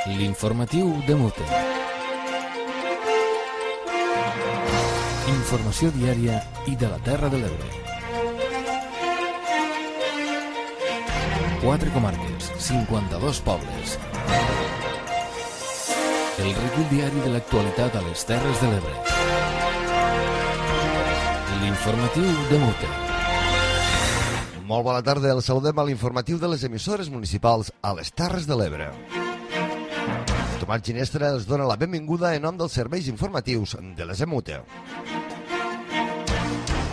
L'informatiu de Mute. Informació diària i de la Terra de l'Ebre. 4 comarques, 52 pobles. El recull diari de l'actualitat a les Terres de l'Ebre. L'informatiu de Mute. Molt bona tarda, el saludem a l'informatiu de les emissores municipals a les Terres de l'Ebre. Tomàs Ginestra els dona la benvinguda en nom dels serveis informatius de les EMUTE.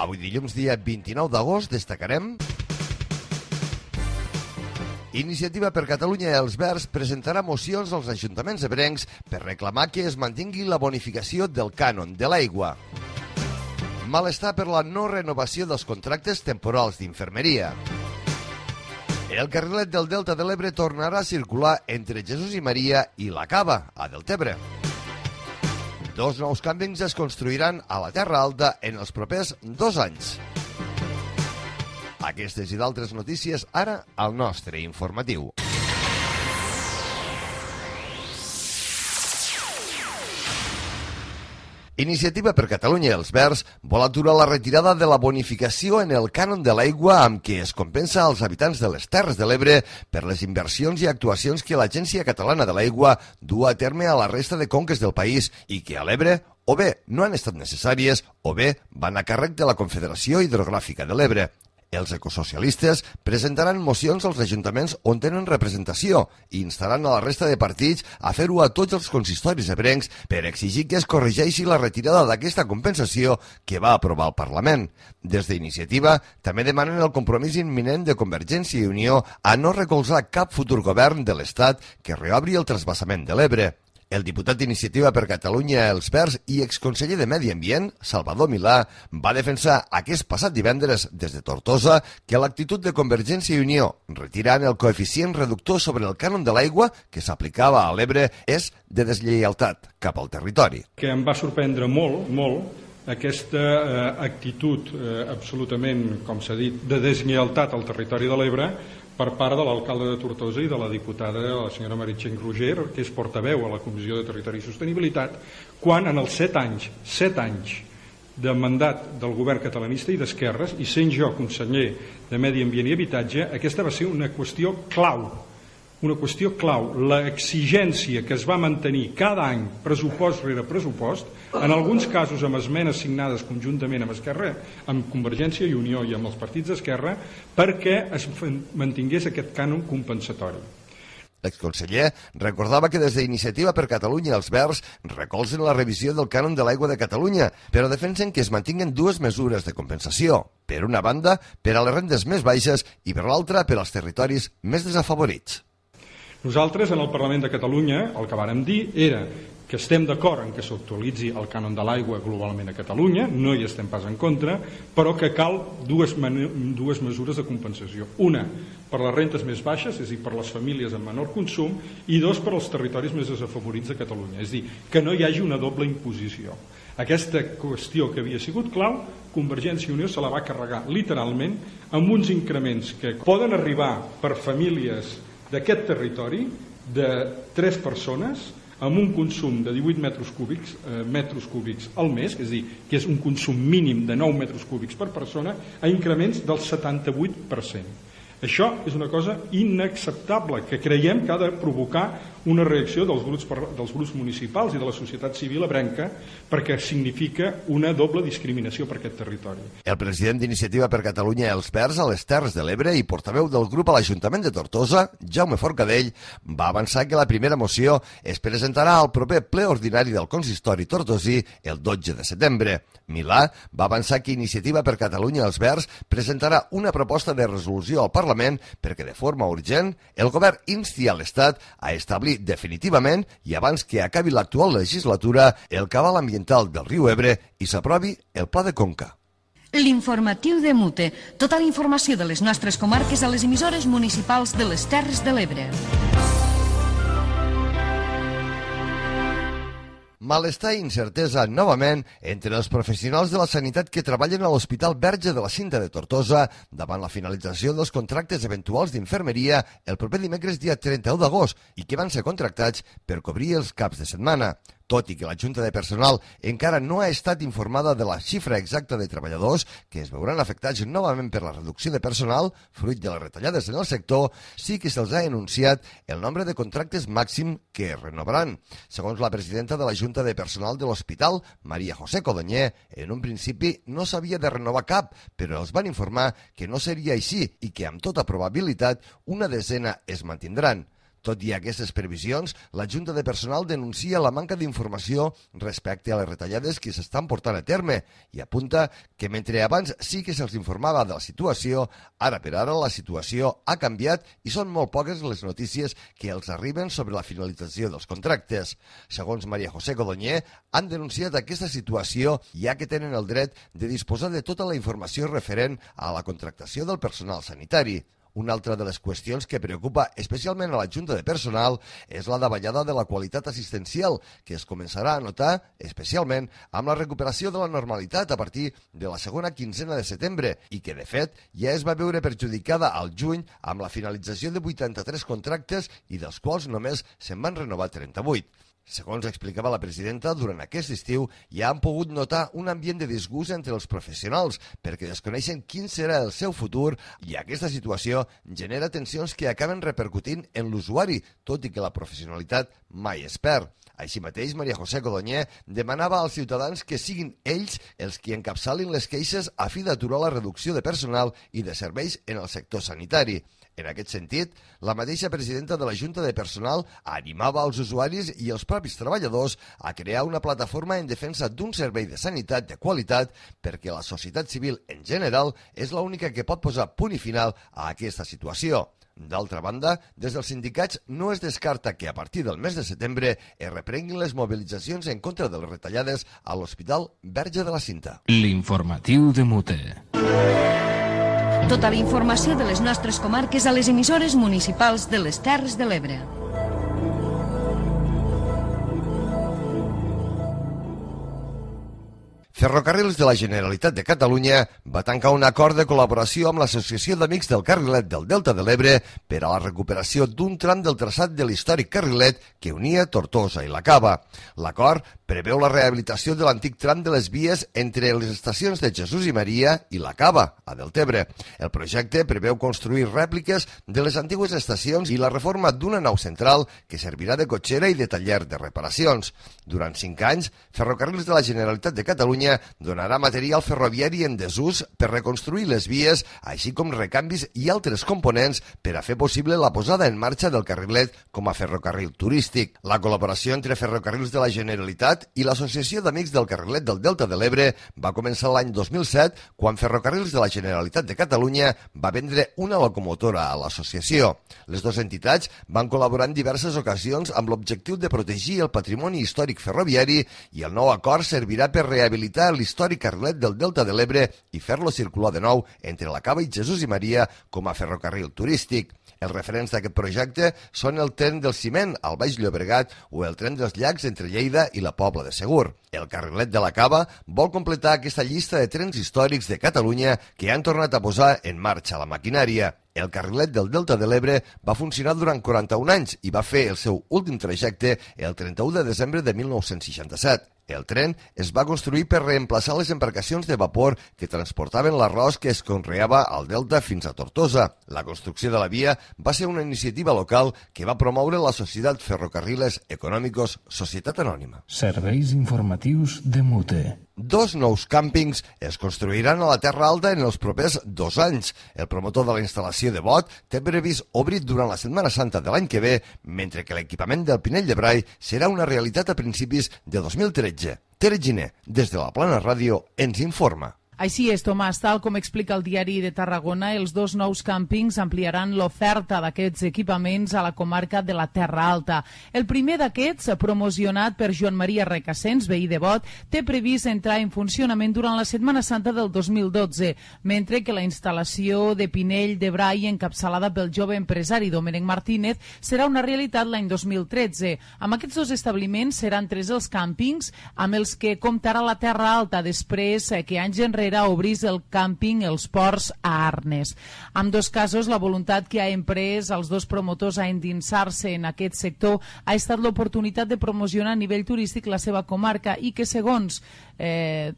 Avui dilluns, dia 29 d'agost, destacarem: Iniciativa per Catalunya i els Verds presentarà mocions als ajuntaments ebrencs per reclamar que es mantingui la bonificació del cànon de l'aigua. Malestar per la no renovació dels contractes temporals d'infermeria. El carrilet del Delta de l'Ebre tornarà a circular entre Jesús i Maria i la Cava, a Deltebre. 2 nous càmpings es construiran a la Terra Alta en els propers 2 anys. Aquestes i d'altres notícies ara al nostre informatiu. Iniciativa per Catalunya i els Verds vol aturar la retirada de la bonificació en el cànon de l'aigua amb què es compensa als habitants de les Terres de l'Ebre per les inversions i actuacions que l'Agència Catalana de l'Aigua du a terme a la resta de conques del país i que a l'Ebre o bé no han estat necessàries o bé van a càrrec de la Confederació Hidrogràfica de l'Ebre. Els ecosocialistes presentaran mocions als ajuntaments on tenen representació i instaran a la resta de partits a fer-ho a tots els consistoris ebrencs per exigir que es corregeixi la retirada d'aquesta compensació que va aprovar el Parlament. Des d'Iniciativa també demanen el compromís imminent de Convergència i Unió a no recolzar cap futur govern de l'Estat que reobri el transvasament de l'Ebre. El diputat d'Iniciativa per Catalunya els Verds i exconseller de Medi Ambient, Salvador Milà, va defensar aquest passat divendres des de Tortosa que l'actitud de Convergència i Unió retirant el coeficient reductor sobre el cànon de l'aigua que s'aplicava a l'Ebre és de deslleialtat cap al territori. Que em va sorprendre molt aquesta actitud absolutament, com s'ha dit, de deslleialtat al territori de l'Ebre per part de l'alcalde de Tortosa i de la diputada, la senyora Meritxell Roger, que és portaveu a la Comissió de Territori i Sostenibilitat, quan en els 7 anys de mandat del govern catalanista i d'esquerres, i sent jo conseller de Medi Ambient i Habitatge, aquesta va ser una qüestió clau. L'exigència que es va mantenir cada any, pressupost rere pressupost, en alguns casos amb esmenes signades conjuntament amb Esquerra, amb Convergència i Unió i amb els partits d'Esquerra, perquè es mantingués aquest cànon compensatori. L'exconseller recordava que des d'Iniciativa per Catalunya els Verds recolzen la revisió del cànon de l'aigua de Catalunya, però defensen que es mantinguen 2 mesures de compensació. Per una banda, per a les rendes més baixes i per l'altra, per als territoris més desafavorits. Nosaltres, en el Parlament de Catalunya, el que vàrem dir era que estem d'acord en que s'actualitzi el cànon de l'aigua globalment a Catalunya, no hi estem pas en contra, però que cal dues mesures de compensació. Una, per les rentes més baixes, és a dir, per les famílies amb menor consum, i 2, per als territoris més desafavorits de Catalunya. És a dir, que no hi hagi una doble imposició. Aquesta qüestió que havia sigut clau, Convergència i Unió se la va carregar literalment amb uns increments que poden arribar per famílies d'aquest territori de 3 persones amb un consum de 18 metres cúbics al mes, és a dir, que és un consum mínim de 9 metres cúbics per persona, a increments del 78%. Això és una cosa inacceptable que creiem que ha de provocar una reacció dels grups municipals i de la societat civil ebrenca perquè significa una doble discriminació per aquest territori. El president d'Iniciativa per Catalunya els Verds a les Terres de l'Ebre i portaveu del grup a l'Ajuntament de Tortosa, Jaume Forcadell, va avançar que la primera moció es presentarà al proper ple ordinari del consistori tortosí el 12 de setembre. Milà va avançar que Iniciativa per Catalunya els Verds presentarà una proposta de resolució al Parlament perquè de forma urgent el govern insti a l'Estat a establir definitivament i abans que acabi l'actual legislatura el cabal ambiental del riu Ebre i s'aprovi el Pla de Conca. L'informatiu de Mute. Tota la informació de les nostres comarques a les emissores municipals de les Terres de l'Ebre. Malestar i incertesa novament entre els professionals de la sanitat que treballen a l'Hospital Verge de la Cinta de Tortosa davant la finalització dels contractes eventuals d'infermeria el proper dimecres dia 31 d'agost i que van ser contractats per cobrir els caps de setmana. Tot i que la Junta de Personal encara no ha estat informada de la xifra exacta de treballadors que es veuran afectats novament per la reducció de personal, fruit de les retallades en el sector, sí que se'ls ha anunciat el nombre de contractes màxim que es renovaran. Segons la presidenta de la Junta de Personal de l'Hospital, Maria José Codonyer, en un principi no s'havia de renovar cap, però els van informar que no seria així i que amb tota probabilitat una desena es mantindran. Tot i aquestes previsions, la Junta de Personal denuncia la manca d'informació respecte a les retallades que s'estan portant a terme i apunta que mentre abans sí que se'ls informava de la situació, ara per ara la situació ha canviat i són molt poques les notícies que els arriben sobre la finalització dels contractes. Segons Maria José Codonyer, han denunciat aquesta situació ja que tenen el dret de disposar de tota la informació referent a la contractació del personal sanitari. Una altra de les qüestions que preocupa especialment a la Junta de Personal és la davallada de la qualitat assistencial, que es començarà a notar especialment amb la recuperació de la normalitat a partir de la segona quinzena de setembre i que, de fet, ja es va veure perjudicada al juny amb la finalització de 83 contractes i dels quals només se'n van renovar 38. Segons explicava la presidenta, durant aquest estiu ja han pogut notar un ambient de disgust entre els professionals perquè desconeixen quin serà el seu futur i aquesta situació genera tensions que acaben repercutint en l'usuari, tot i que la professionalitat mai es perd. Així mateix, Maria José Codonyer demanava als ciutadans que siguin ells els qui encapçalin les queixes a fi d'aturar la reducció de personal i de serveis en el sector sanitari. En aquest sentit, la mateixa presidenta de la Junta de Personal animava als usuaris i els propis treballadors a crear una plataforma en defensa d'un servei de sanitat de qualitat perquè la societat civil en general és l'única que pot posar punt i final a aquesta situació. D'altra banda, des dels sindicats no es descarta que a partir del mes de setembre es reprenguin les mobilitzacions en contra de les retallades a l'Hospital Verge de la Cinta. L'informatiu de Mute. Tota la informació de les nostres comarques a les emissores municipals de les Terres de l'Ebre. Ferrocarrils de la Generalitat de Catalunya va tancar un acord de col·laboració amb l'Associació d'Amics del Carrilet del Delta de l'Ebre per a la recuperació d'un tram del traçat de l'històric carrilet que unia Tortosa i la Cava. L'acord preveu la rehabilitació de l'antic tram de les vies entre les estacions de Jesús i Maria i la Cava, a Deltebre. El projecte preveu construir rèpliques de les antigues estacions i la reforma d'una nau central que servirà de cotxera i de taller de reparacions. Durant 5 anys, Ferrocarrils de la Generalitat de Catalunya donarà material ferroviari en desús per reconstruir les vies, així com recanvis i altres components per a fer possible la posada en marxa del carrilet com a ferrocarril turístic. La col·laboració entre Ferrocarrils de la Generalitat i l'Associació d'Amics del Carrilet del Delta de l'Ebre va començar l'any 2007, quan Ferrocarrils de la Generalitat de Catalunya va vendre una locomotora a l'associació. Les dues entitats van col·laborar en diverses ocasions amb l'objectiu de protegir el patrimoni històric ferroviari i el nou acord servirà per rehabilitar l'històric carrilet del Delta de l'Ebre i fer-lo circular de nou entre la Cava i Jesús i Maria com a ferrocarril turístic. Els referents d'aquest projecte són el tren del Ciment al Baix Llobregat o el tren dels Llacs entre Lleida i la Pobla de Segur. El carrilet de la Cava vol completar aquesta llista de trens històrics de Catalunya que han tornat a posar en marxa la maquinària. El carrilet del Delta de l'Ebre va funcionar durant 41 anys i va fer el seu últim trajecte el 31 de desembre de 1967. El tren es va construir per reemplaçar les embarcacions de vapor que transportaven l'arròs que es conreava al Delta fins a Tortosa. La construcció de la via va ser una iniciativa local que va promoure la Societat Ferrocarriles Econòmicos Societat Anònima. Serveis informatius de Mute. 2 nous càmpings es construiran a la Terra Alta en els propers 2 anys. El promotor de la instal·lació de Bot té previst obrir durant la Setmana Santa de l'any que ve, mentre que l'equipament del Pinell de Brai serà una realitat a principis de 2013. Tere Giner, des de la Plana Ràdio, ens informa. Així és, Tomàs, tal com explica el Diari de Tarragona, els 2 nous càmpings ampliaran l'oferta d'aquests equipaments a la comarca de la Terra Alta. El primer d'aquests, promocionat per Joan Maria Recasens, veí de Bot, té previst entrar en funcionament durant la Setmana Santa del 2012, mentre que la instal·lació de Pinell de Brai, encapçalada pel jove empresari Domènec Martínez, serà una realitat l'any 2013. Amb aquests 2 establiments seran 3 els càmpings amb els que comptarà la Terra Alta després que anys enrere obrís el càmping Els Ports a Arnes. En 2 casos, la voluntat que ha emprès els 2 promotors a endinsar-se en aquest sector ha estat l'oportunitat de promocionar a nivell turístic la seva comarca i que, segons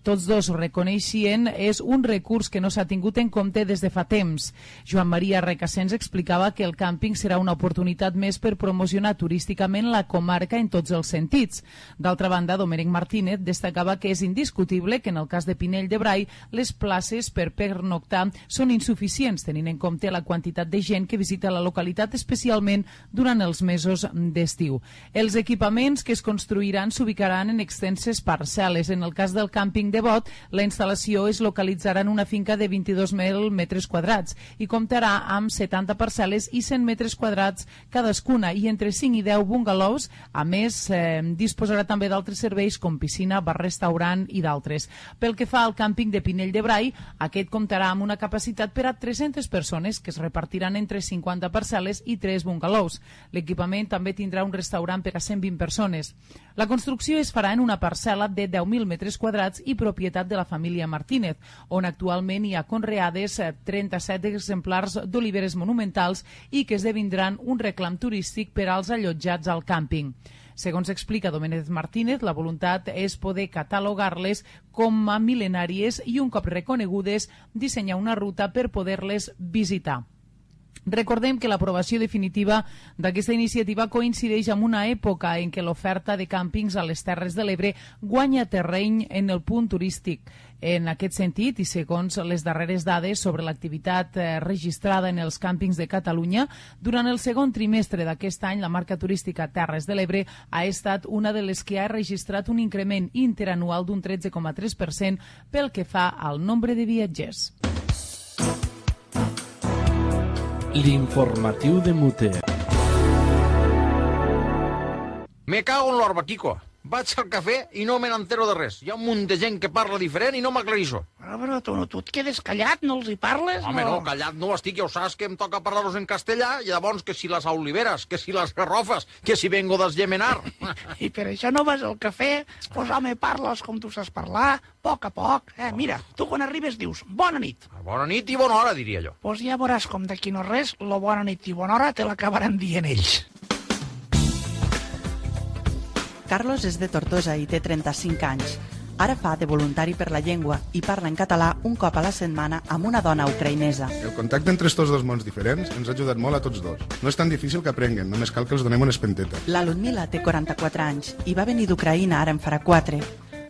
tots 2 reconeixien, és un recurs que no s'ha tingut en compte des de fa temps. Joan Maria Recasens explicava que el càmping serà una oportunitat més per promocionar turísticament la comarca en tots els sentits. D'altra banda, Domènec Martínez destacava que és indiscutible que en el cas de Pinell de Brai les places per pernoctar són insuficients, tenint en compte la quantitat de gent que visita la localitat, especialment durant els mesos d'estiu. Els equipaments que es construiran s'ubicaran en extenses parcel·les. En el cas del càmping de Bot, la instal·lació es localitzarà en una finca de 22.000 metres quadrats i comptarà amb 70 parcel·les i 100 metres quadrats cadascuna i entre 5 i 10 bungalows. A més, disposarà també d'altres serveis com piscina, bar-restaurant i d'altres. Pel que fa al càmping de Pinell de Brai, aquest comptarà amb una capacitat per a 300 persones que es repartiran entre 50 parcel·les i 3 bungalows. L'equipament també tindrà un restaurant per a 120 persones. La construcció es farà en una parcel·la de 10.000 metres quadrats i propietat de la família Martínez, on actualment hi ha conreades 37 exemplars d'oliveres monumentals i que esdevindran un reclam turístic per als allotjats al càmping. Segons explica Domènec Martínez, la voluntat és poder catalogar-les com a mil·lenàries i, un cop reconegudes, dissenyar una ruta per poder-les visitar. Recordem que l'aprovació definitiva d'aquesta iniciativa coincideix amb una època en què l'oferta de càmpings a les Terres de l'Ebre guanya terreny en el punt turístic. En aquest sentit, i segons les darreres dades sobre l'activitat registrada en els càmpings de Catalunya, durant el segon trimestre d'aquest any, la marca turística Terres de l'Ebre ha estat una de les que ha registrat un increment interanual d'un 13,3% pel que fa al nombre de viatgers. L'informatiu de Mute. Me cago en l'orba, Quico. Vaig al cafè i no me n'entero de res. Hi ha un munt de gent que parla diferent i no m'aclareixo. Però tu et quedes callat, no els hi parles? Home, no, callat no estic, ja ho saps que em toca parlar-los en castellà, i llavors que si les oliveres, que si les garrofes, que si vengo d'esgemenar. I per això no vas al cafè? Pues home, parles com tu saps parlar, a poc. Mira, tu quan arribes dius bona nit. Bona nit i bona hora, diria jo. Pues ja veuràs com d'aquí no res, la bona nit i bona hora te l'acabaran dient ells. Carlos és de Tortosa i té 35 anys. Ara fa de voluntari per la llengua i parla en català un cop a la setmana amb una dona ucraïnesa. El contacte entre estos 2 mons diferents ens ha ajudat molt a tots 2. No és tan difícil que aprenguen, només cal que els donem una espenteta. La Ludmila té 44 anys i va venir d'Ucraïna ara en farà 4.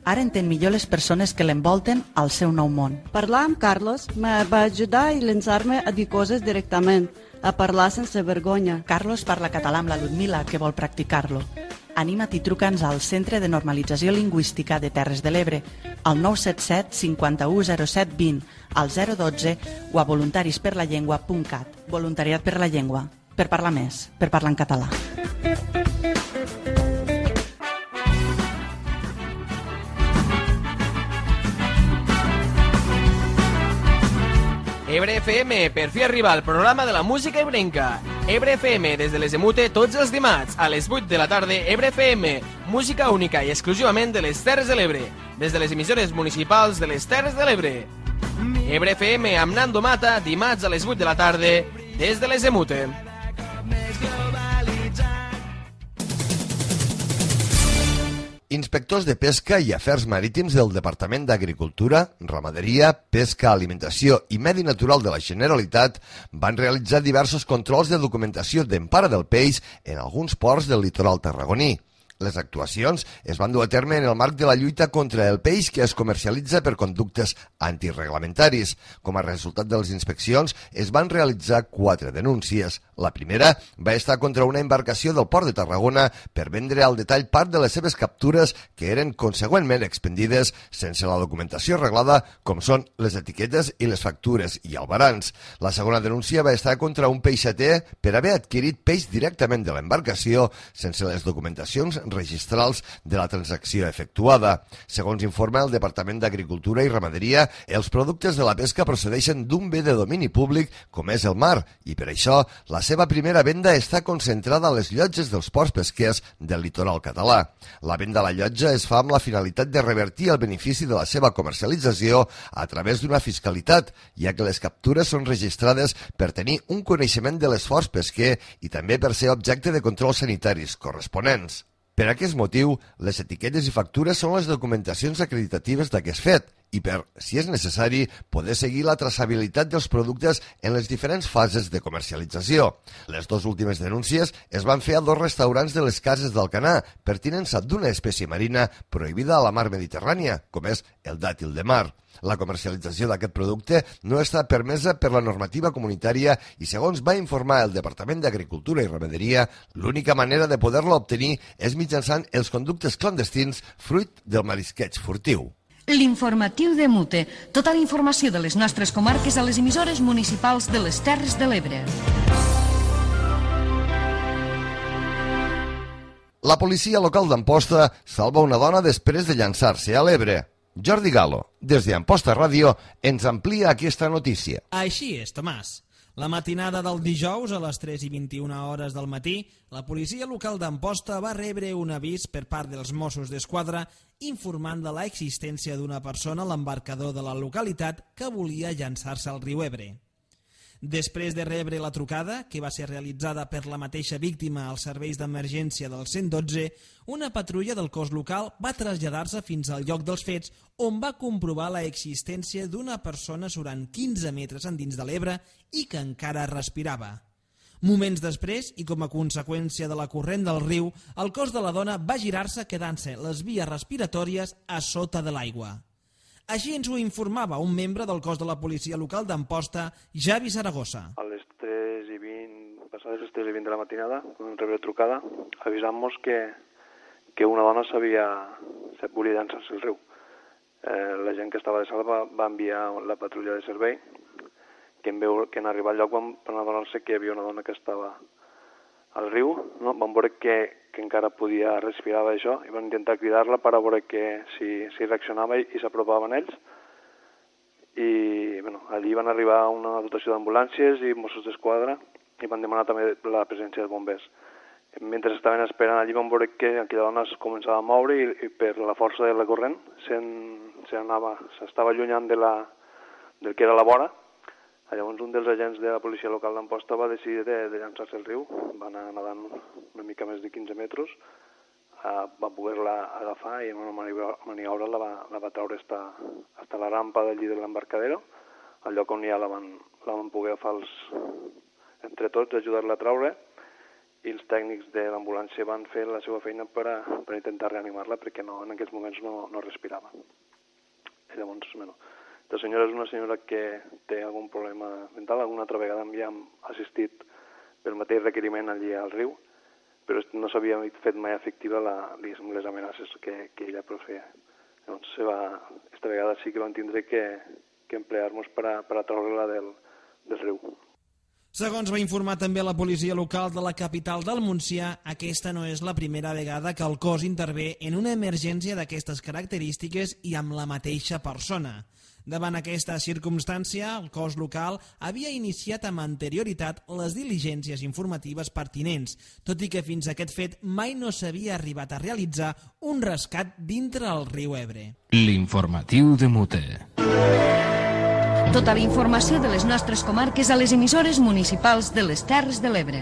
Ara entén millor les persones que l'envolten al seu nou món. Parlar amb Carlos me va ajudar i llançar-me a dir coses directament, a parlar sense vergonya. Carlos parla català amb la Ludmila, que vol practicar-lo. Anima't i truca'ns al Centre de Normalització Lingüística de Terres de l'Ebre, al 977 51 07 20, al 012 o a voluntarisperlallengua.cat. Voluntariat per la llengua. Per parlar més, per parlar en català. Ebre FM, per fi arriba al programa de la música ebrenca. Ebre FM, des de les Emute, tots els dimarts, a les 8 de la tarda, Ebre FM, música única i exclusivament de les Terres de l'Ebre, des de les emissores municipals de les Terres de l'Ebre. Ebre FM amb Nando Mata, dimarts a les 8 de la tarda, des de les Emute. Inspectors de Pesca i Afers Marítims del Departament d'Agricultura, Ramaderia, Pesca, Alimentació i Medi Natural de la Generalitat van realitzar diversos controls de documentació d'empara del peix en alguns ports del litoral tarragoní. Les actuacions es van dur a terme en el marc de la lluita contra el peix que es comercialitza per conductes antirreglamentaris. Com a resultat de les inspeccions, es van realitzar 4 denúncies. La primera va estar contra una embarcació del Port de Tarragona per vendre al detall part de les seves captures que eren consegüentment expendides sense la documentació reglada, com són les etiquetes i les factures i albarans. La segona denúncia va estar contra un peixater per haver adquirit peix directament de l'embarcació sense les documentacions registrals de la transacció efectuada. Segons informa el Departament d'Agricultura i Ramaderia, els productes de la pesca procedeixen d'un bé de domini públic com és el mar i per això la seva primera venda està concentrada a les llotges dels ports pesquers del litoral català. La venda a la llotja es fa amb la finalitat de revertir el benefici de la seva comercialització a través d'una fiscalitat, ja que les captures són registrades per tenir un coneixement de l'esforç pesquer i també per ser objecte de controls sanitaris corresponents. Per aquest motiu, les etiquetes i factures són les documentacions acreditatives d'aquest fet i per, si és necessari, poder seguir la traçabilitat dels productes en les diferents fases de comercialització. Les 2 últimes denúncies es van fer a 2 restaurants de les Cases d'Alcanar per tinença d'una espècie marina prohibida a la mar Mediterrània, com és el dàtil de mar. La comercialització d'aquest producte no està permesa per la normativa comunitària i, segons va informar el Departament d'Agricultura i Ramaderia, l'única manera de poder-lo obtenir és mitjançant els conductes clandestins fruit del marisqueig furtiu. L'informatiu de Mute. Tota la informació de les nostres comarques a les emissores municipals de les Terres de l'Ebre. La policia local d'Amposta salva una dona després de llançar-se a l'Ebre. Jordi Galo, des d'Amposta Ràdio, ens amplia aquesta notícia. Així és, Tomàs. La matinada del dijous, a les 3:21 del matí, la policia local d'Amposta va rebre un avís per part dels Mossos d'Esquadra informant de l'existència d'una persona a l'embarcador de la localitat que volia llançar-se al riu Ebre. Després de rebre la trucada, que va ser realitzada per la mateixa víctima als serveis d'emergència del 112, una patrulla del cos local va traslladar-se fins al lloc dels fets, on va comprovar l'existència d'una persona surant 15 metres endins de l'Ebre i que encara respirava. Moments després, i com a conseqüència de la corrent del riu, el cos de la dona va girar-se quedant-se les vies respiratòries a sota de l'aigua. Així ens ho informava un membre del cos de la policia local d'Amposta, Javi Zaragoza. A les 3:20, passades les 3:20 de la matinada, vam rebre trucada, avisant-nos que una dona volia llançar-se al riu. La gent que estava de sala va enviar la patrulla de servei, que en arribar al lloc van adonar-se que hi havia una dona que estava al riu, no? Van veure que encara podia respirar això i van intentar cridar-la per a veure si reaccionava i s'apropaven ells. I allí van arribar una dotació d'ambulàncies i Mossos d'Esquadra i van demanar també la presència de bombers. Mentre estaven esperant allí van veure que aquella dona es començava a moure i per la força de la corrent s'estava allunyant del que era la vora. Llavors un dels agents de la policia local d'Amposta va decidir de llançar-se al riu, va anar nedant una mica més de 15 metres, va poder-la agafar i en una maniobra la va treure fins a la rampa d'allí de l'embarcadero, al lloc on ja la van poder agafar entre tots, ajudar-la a treure, i els tècnics de l'ambulància van fer la seva feina per intentar reanimar-la perquè en aquests moments no respirava. I llavors, la senyora és una senyora que té algun problema mental, alguna altra vegada ja hem assistit pel mateix requeriment allí al riu, però no s'havia fet mai efectiva les amenaces que ella proferia. Llavors, aquesta vegada sí que vam tindre que emplear-nos per a treure-la del riu. Segons va informar també la policia local de la capital del Montsià, aquesta no és la primera vegada que el cos intervé en una emergència d'aquestes característiques i amb la mateixa persona. Davant aquesta circumstància, el cos local havia iniciat amb anterioritat les diligències informatives pertinents, tot i que fins a aquest fet mai no s'havia arribat a realitzar un rescat dintre el riu Ebre. L'informatiu de Mute. Tota la informació de les nostres comarques a les emissores municipals de les Terres de l'Ebre.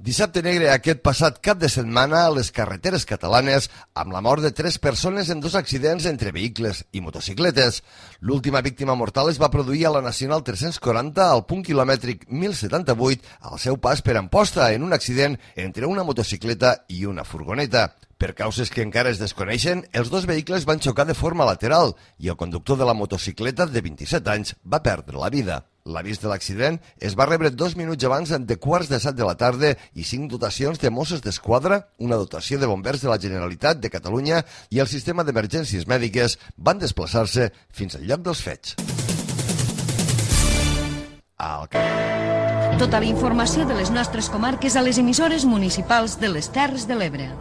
Dissabte negre aquest passat cap de setmana a les carreteres catalanes amb la mort de 3 persones en 2 accidents entre vehicles i motocicletes. L'última víctima mortal es va produir a la Nacional 340 al punt quilomètric 1078 al seu pas per Amposta en un accident entre una motocicleta i una furgoneta. Per causes que encara es desconeixen, els 2 vehicles van xocar de forma lateral i el conductor de la motocicleta de 27 anys va perdre la vida. L'avís de l'accident es va rebre 2 minuts abans de 6:15 de la tarda i 5 dotacions de Mossos d'Esquadra, una dotació de bombers de la Generalitat de Catalunya i el sistema d'emergències mèdiques van desplaçar-se fins al lloc dels fets. Tota la informació de les nostres comarques a les emissores municipals de les Terres de l'Ebre.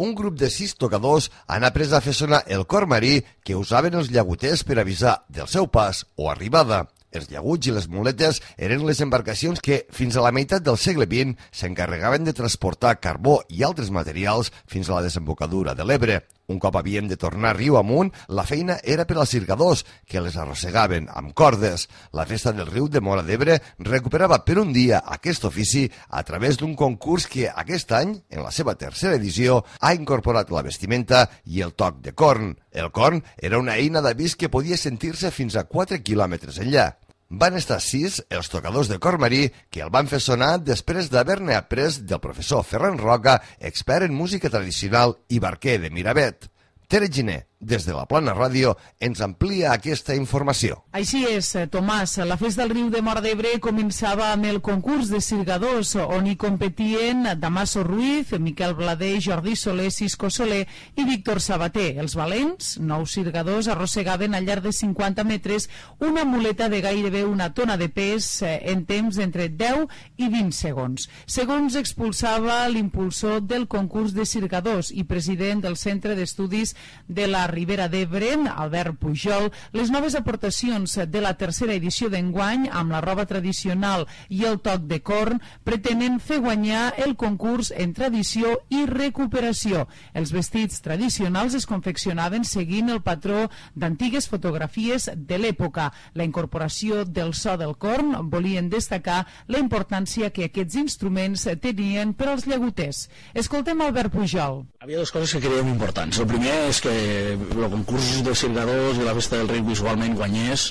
Un grup de 6 tocadors han après a fer sonar el cor marí que usaven els llaguters per avisar del seu pas o arribada. Els llaguts i les muletes eren les embarcacions que, fins a la meitat del segle XX, s'encarregaven de transportar carbó i altres materials fins a la desembocadura de l'Ebre. Un cop havien de tornar riu amunt, la feina era per als circadors, que les arrossegaven amb cordes. La festa del riu de Móra d'Ebre recuperava per un dia aquest ofici a través d'un concurs que aquest any, en la seva 3a edició, ha incorporat la vestimenta i el toc de corn. El corn era una eina d'avís que podia sentir-se fins a 4 quilòmetres enllà. Van estar 6 els tocadors de cor marí que el van fer sonar després d'haver-ne après del professor Ferran Roca, expert en música tradicional i barquer de Miravet. Tere Giner, des de la Plana Ràdio, ens amplia aquesta informació. Així és, Tomàs. La festa del riu de Móra d'Ebre començava amb el concurs de cirgadors, on hi competien Damaso Ruiz, Miquel Blader, Jordi Soler, Cisco Soler i Víctor Sabater. Els valents, 9 cirgadors, arrossegaven al llarg de 50 metres una muleta de gairebé 1 tona de pes en temps entre 10 i 20 segons. Segons expulsava l'impulsor del concurs de cirgadors i president del Centre d'Estudis de la Ribera d'Ebre, Albert Pujol, les noves aportacions de la 3a edició d'enguany amb la roba tradicional i el toc de corn pretenen fer guanyar el concurs en tradició i recuperació. Els vestits tradicionals es confeccionaven seguint el patró d'antigues fotografies de l'època. La incorporació del so del corn volien destacar la importància que aquests instruments tenien per als llaguters. Escoltem Albert Pujol. Havia 2 coses que creiem importants. El primer és que el concurs de cirgadors i la festa del riu visualment guanyés,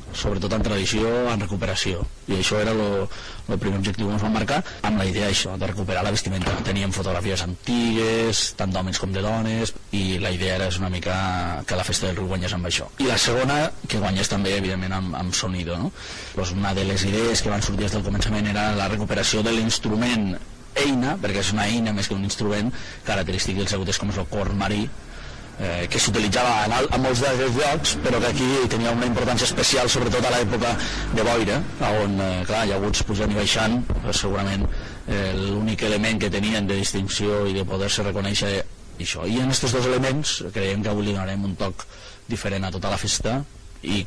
sobretot en tradició, en recuperació. I això era el primer objectiu que ens vam marcar, amb la idea això, de recuperar la vestimenta. Teníem fotografies antigues, tant d'homes com de dones, i la idea era una mica que la festa del riu guanyés amb això. I la segona, que guanyés també, evidentment, amb sonido, no? Pues una de les idees que van sortir des del començament era la recuperació de l'instrument eina, perquè és una eina més que un instrument característic dels llaguters com és el corn marí, que s'utilitzava a molts d'aquests llocs, però que aquí tenia una importància especial, sobretot a l'època de boira, on, clar, llaguts pujant i baixant, segurament l'únic element que tenien de distinció i de poder-se reconèixer això. I en aquests 2 elements creiem que avui li donarem un toc diferent a tota la festa i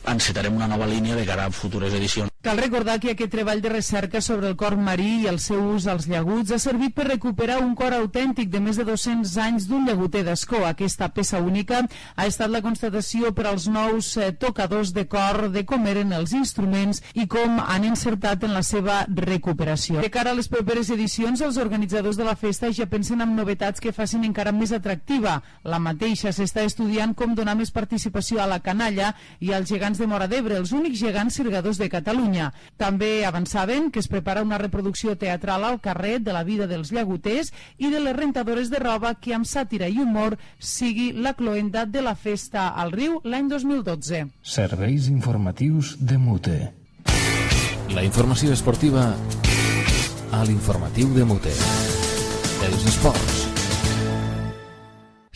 encetarem una nova línia de cara a futures edicions. Cal recordar que aquest treball de recerca sobre el corn marí i el seu ús als llaguts ha servit per recuperar un cor autèntic de més de 200 anys d'un llaguter d'Ascó. Aquesta peça única ha estat la constatació per als nous tocadors de cor de com eren els instruments i com han encertat en la seva recuperació. De cara a les properes edicions, els organitzadors de la festa ja pensen en novetats que facin encara més atractiva. La mateixa s'està estudiant com donar més participació a la canalla i als gegants de Móra d'Ebre, els únics gegants cirgadors de Catalunya. També avançaven que es prepara una reproducció teatral al carrer de la vida dels llaguters i de les rentadores de roba que amb sàtira i humor sigui la cloenda de la festa al riu l'any 2012. Serveis informatius de Mute. La informació esportiva a l'informatiu de Mute. Els esports.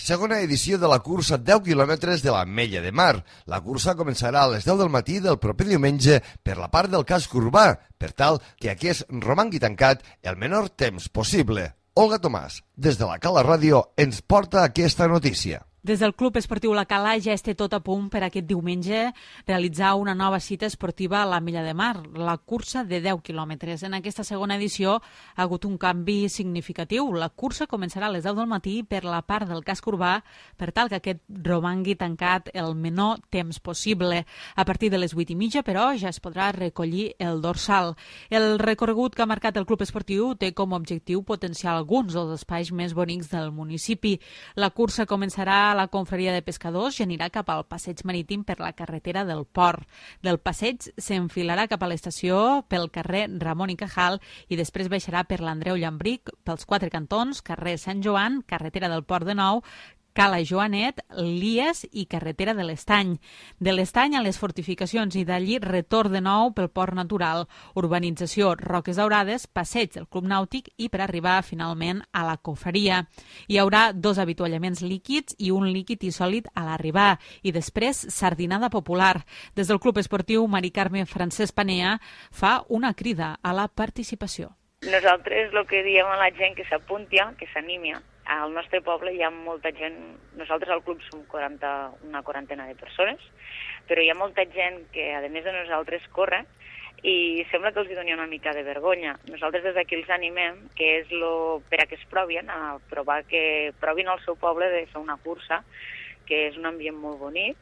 Segona edició de la cursa 10 quilòmetres de l'Ametlla de Mar. La cursa començarà a les 10 del matí del proper diumenge per la part del casc urbà, per tal que aquest romangui tancat el menor temps possible. Olga Tomàs, des de la Cala Ràdio, ens porta aquesta notícia. Des del Club Esportiu La Cala ja es té tot a punt per aquest diumenge realitzar una nova cita esportiva a la Milla de Mar, la cursa de 10 quilòmetres. En aquesta segona edició ha hagut un canvi significatiu. La cursa començarà a les 10 del matí per la part del casc urbà per tal que aquest romangui tancat el menor temps possible. A partir de les 8:30, però, ja es podrà recollir el dorsal. El recorregut que ha marcat el Club Esportiu té com a objectiu potenciar alguns dels espais més bonics del municipi. La cursa començarà a la confraria de pescadors i anirà cap al passeig marítim per la carretera del Port. Del passeig s'enfilarà cap a l'estació pel carrer Ramon i Cajal i després baixarà per l'Andreu Llambric, pels 4 cantons, carrer Sant Joan, carretera del Port de Nou, Cala Joanet, Lies i carretera de l'Estany. De l'Estany a les fortificacions i d'allí retorn de nou pel port natural, urbanització Roques Daurades, passeig del Club Nàutic i per arribar finalment a la confraria. Hi haurà 2 avituallaments líquids i un líquid i sòlid a l'arribar i després sardinada popular. Des del Club Esportiu Mari Carme Francesc Panea fa una crida a la participació. Nosaltres el que diem a la gent que s'apunti, que s'animi. Al nostre poble hi ha molta gent, nosaltres al club som una quarantena de persones, però hi ha molta gent que, a més de nosaltres, corre i sembla que els doni una mica de vergonya. Nosaltres des d'aquí els animem, que és per a que es provin, a provar que provin al seu poble de fer una cursa, que és un ambient molt bonic,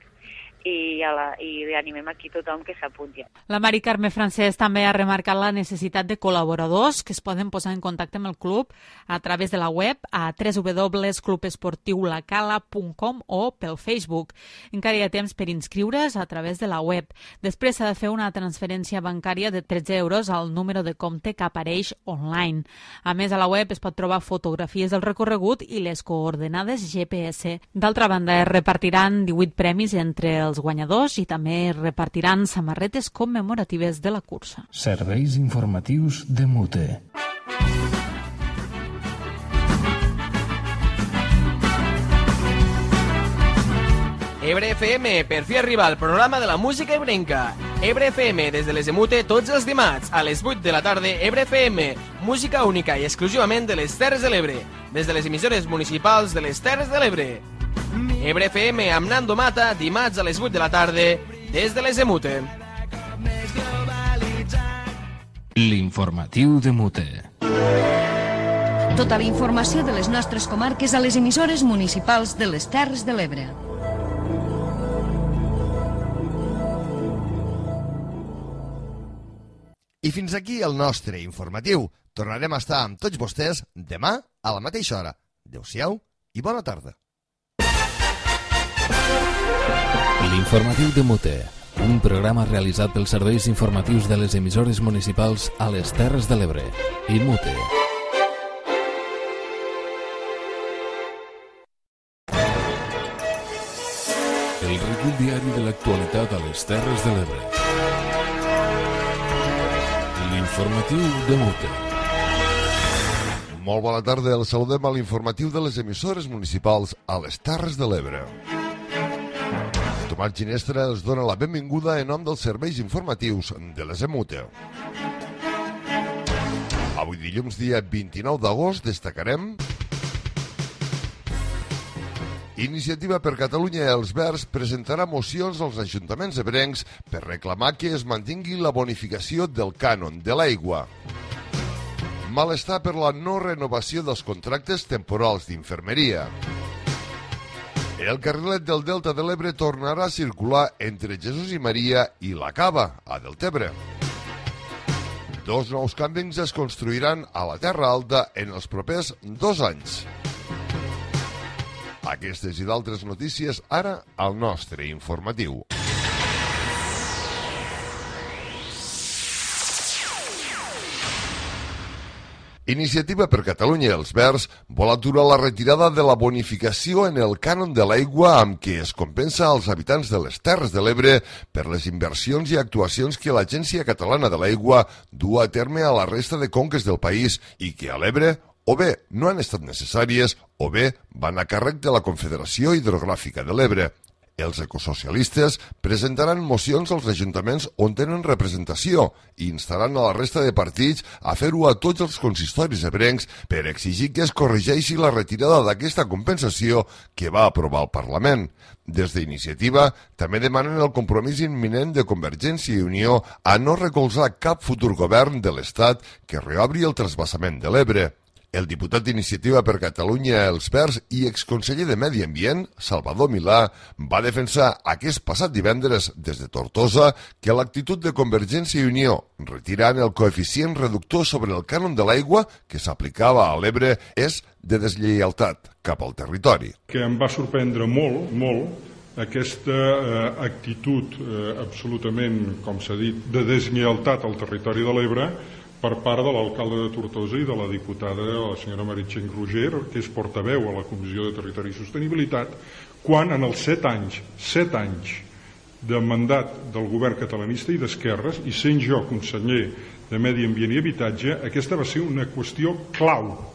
i animem aquí tothom que s'apunti. La Mari Carme Francesc també ha remarcat la necessitat de col·laboradors que es poden posar en contacte amb el club a través de la web a www.clubesportiulacala.com o pel Facebook. Encara hi ha temps per inscriure's a través de la web. Després s'ha de fer una transferència bancària de 13 euros al número de compte que apareix online. A més, a la web es pot trobar fotografies del recorregut i les coordenades GPS. D'altra banda, es repartiran 18 premis entre els guanyadors i també repartiran samarretes commemoratives de la cursa. Serveis informatius de Mute. Ebre FM, per fi arriba el programa de la música ebrenca. Ebre FM, des de les Emute, tots els dimarts, a les 8 de la tarda, Ebre FM, música única i exclusivament de les Terres de l'Ebre, des de les emissores municipals de les Terres de l'Ebre. Ebre FM amb Nando Mata, dimarts a les 8 de la tarda, des de les Emute. L'informatiu de Mute. Tota la informació de les nostres comarques a les emissores municipals de les Terres de l'Ebre. I fins aquí el nostre informatiu. Tornarem a estar amb tots vostès demà a la mateixa hora. Adéu-siau i bona tarda. L'informatiu de Mute, un programa realitzat pels serveis informatius de les emissores municipals a les Terres de l'Ebre i Mute. El recull diari de l'actualitat a les Terres de l'Ebre. L'informatiu de Mute. Molt bona tarda, el saludem a l'informatiu de les emissores municipals a les Terres de l'Ebre. Tomàs Ginestra els dona la benvinguda en nom dels serveis informatius de les Emute. Avui dilluns, dia 29 d'agost, destacarem: Iniciativa per Catalunya i els Verds presentarà mocions als ajuntaments ebrencs per reclamar que es mantingui la bonificació del cànon de l'aigua. Malestar per la no renovació dels contractes temporals d'infermeria. El carrilet del Delta de l'Ebre tornarà a circular entre Jesús i Maria i la Cava, a Deltebre. 2 nous càmpings es construiran a la Terra Alta en els propers 2 anys. Aquestes i d'altres notícies ara al nostre informatiu. Iniciativa per Catalunya i els Verds vol aturar la retirada de la bonificació en el cànon de l'aigua amb què es compensa als habitants de les Terres de l'Ebre per les inversions i actuacions que l'Agència Catalana de l'Aigua du a terme a la resta de conques del país i que a l'Ebre o bé no han estat necessàries o bé van a càrrec de la Confederació Hidrogràfica de l'Ebre. Els ecosocialistes presentaran mocions als ajuntaments on tenen representació i instaran a la resta de partits a fer-ho a tots els consistoris ebrencs per exigir que es corregeixi la retirada d'aquesta compensació que va aprovar el Parlament. Des d'Iniciativa també demanen el compromís imminent de Convergència i Unió a no recolzar cap futur govern de l'Estat que reobri el trasbassament de l'Ebre. El diputat d'Iniciativa per Catalunya Els Verds i exconseller de Medi Ambient, Salvador Milà, va defensar aquest passat divendres des de Tortosa que l'actitud de Convergència i Unió, retirant el coeficient reductor sobre el cànon de l'aigua que s'aplicava a l'Ebre, és de deslleialtat cap al territori. Que em va sorprendre molt aquesta actitud absolutament, com s'ha dit, de deslleialtat al territori de l'Ebre per part de l'alcalde de Tortosa i de la diputada, la senyora Meritxell Roger, que és portaveu a la Comissió de Territori i Sostenibilitat, quan en els 7 anys de mandat del govern catalanista i d'esquerres, i sent jo conseller de Medi Ambient i Habitatge, aquesta va ser una qüestió clau.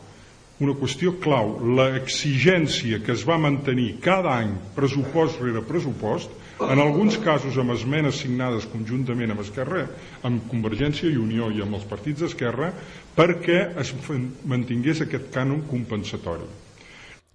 L'exigència que es va mantenir cada any, pressupost rere pressupost, en alguns casos amb esmenes signades conjuntament amb Esquerra, amb Convergència i Unió i amb els partits d'Esquerra, perquè es mantingués aquest cànon compensatori.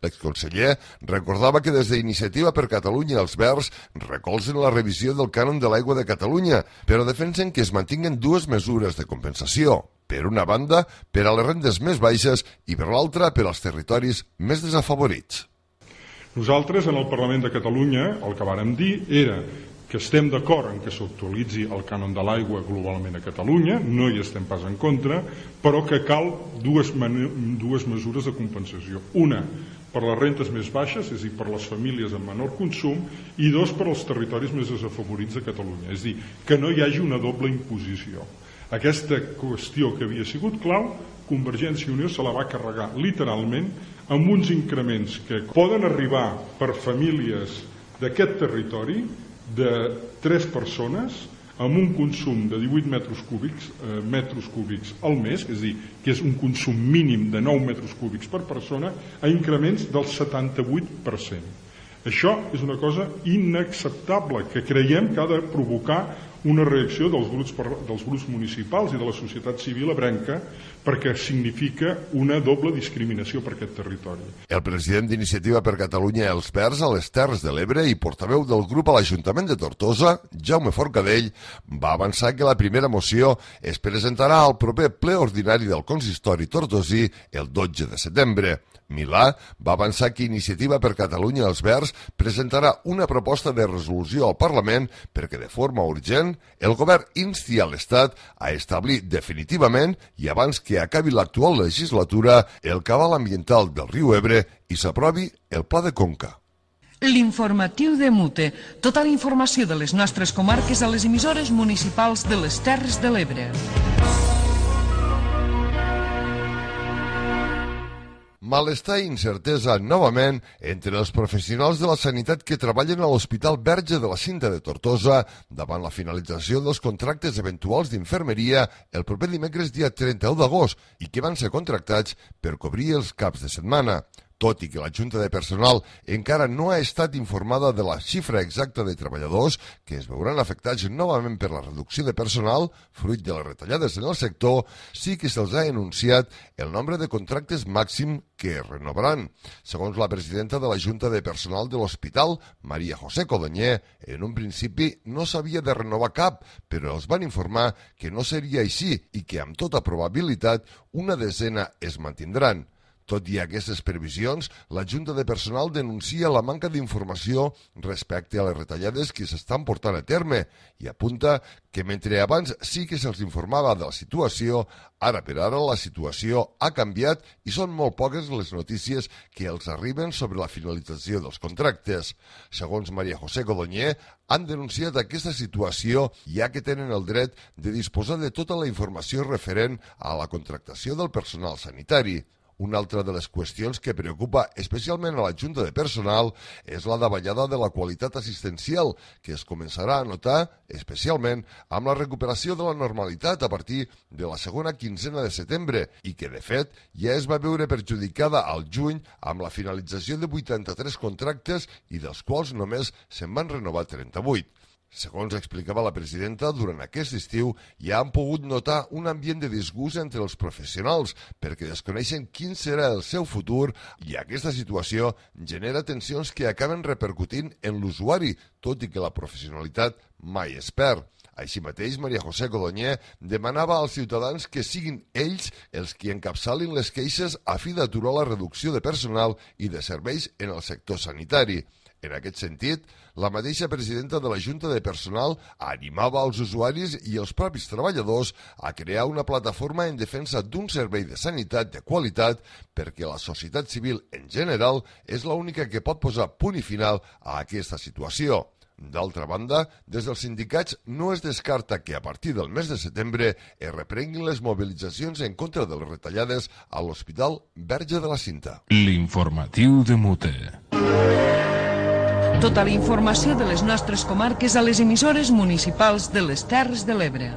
L'exconseller recordava que des d'Iniciativa per Catalunya Els Verds recolzen la revisió del cànon de l'aigua de Catalunya, però defensen que es mantinguen dues mesures de compensació. Per una banda, per a les rendes més baixes i per l'altra, per als territoris més desafavorits. Nosaltres, en el Parlament de Catalunya, el que vàrem dir era que estem d'acord en que s'actualitzi el cànon de l'aigua globalment a Catalunya, no hi estem pas en contra, però que cal dues mesures de compensació. Una, per les rentes més baixes, és a dir, per les famílies amb menor consum, i dos, per als territoris més desafavorits de Catalunya. És a dir, que no hi hagi una doble imposició. Aquesta qüestió que havia sigut clau, Convergència i Unió se la va carregar literalment amb uns increments que poden arribar per famílies d'aquest territori de 3 persones amb un consum de 18 metres cúbics al mes, és a dir, que és un consum mínim de 9 metres cúbics per persona, a increments del 78%. Això és una cosa inacceptable que creiem que ha de provocar una reacció dels grups municipals i de la societat civil ebrenca perquè significa una doble discriminació per aquest territori. El president d'Iniciativa per Catalunya Els Verds a les Terres de l'Ebre i portaveu del grup a l'Ajuntament de Tortosa, Jaume Forcadell, va avançar que la primera moció es presentarà al proper ple ordinari del consistori tortosí el 12 de setembre. Milà va avançar que Iniciativa per Catalunya Els Verds presentarà una proposta de resolució al Parlament perquè de forma urgent el govern insti a l'Estat a establir definitivament i abans que acabi l'actual legislatura el cabal ambiental del riu Ebre i s'aprovi el Pla de Conca. L'informatiu de Mute. Tota la informació de les nostres comarques a les emissores municipals de les Terres de l'Ebre. Malestar i incertesa novament entre els professionals de la sanitat que treballen a l'Hospital Verge de la Cinta de Tortosa davant la finalització dels contractes eventuals d'infermeria el proper dimecres dia 31 d'agost i que van ser contractats per cobrir els caps de setmana. Tot i que la Junta de Personal encara no ha estat informada de la xifra exacta de treballadors que es veuran afectats novament per la reducció de personal, fruit de les retallades en el sector, sí que se'ls ha anunciat el nombre de contractes màxim que es renovaran. Segons la presidenta de la Junta de Personal de l'Hospital, Maria José Codonyer, en un principi no s'havia de renovar cap, però els van informar que no seria així i que amb tota probabilitat una desena es mantindran. Tot i aquestes previsions, la Junta de Personal denuncia la manca d'informació respecte a les retallades que s'estan portant a terme i apunta que mentre abans sí que se'ls informava de la situació, ara per ara la situació ha canviat i són molt poques les notícies que els arriben sobre la finalització dels contractes. Segons Maria José Codonyer, han denunciat aquesta situació ja que tenen el dret de disposar de tota la informació referent a la contractació del personal sanitari. Una altra de les qüestions que preocupa especialment a la Junta de Personal és la davallada de la qualitat assistencial, que es començarà a notar especialment amb la recuperació de la normalitat a partir de la segona quinzena de setembre i que, de fet, ja es va veure perjudicada al juny amb la finalització de 83 contractes i dels quals només se'n van renovar 38. Segons explicava la presidenta, durant aquest estiu ja han pogut notar un ambient de disgust entre els professionals perquè desconeixen quin serà el seu futur i aquesta situació genera tensions que acaben repercutint en l'usuari, tot i que la professionalitat mai es perd. Així mateix, Maria José Codonyer demanava als ciutadans que siguin ells els qui encapçalin les queixes a fi d'aturar la reducció de personal i de serveis en el sector sanitari. En aquest sentit, la mateixa presidenta de la Junta de Personal animava als usuaris i els propis treballadors a crear una plataforma en defensa d'un servei de sanitat de qualitat perquè la societat civil en general és l'única que pot posar punt i final a aquesta situació. D'altra banda, des dels sindicats no es descarta que a partir del mes de setembre es reprenguin les mobilitzacions en contra de les retallades a l'Hospital Verge de la Cinta. L'informatiu de Mute. Tota la informació de les nostres comarques a les emissores municipals de les Terres de l'Ebre.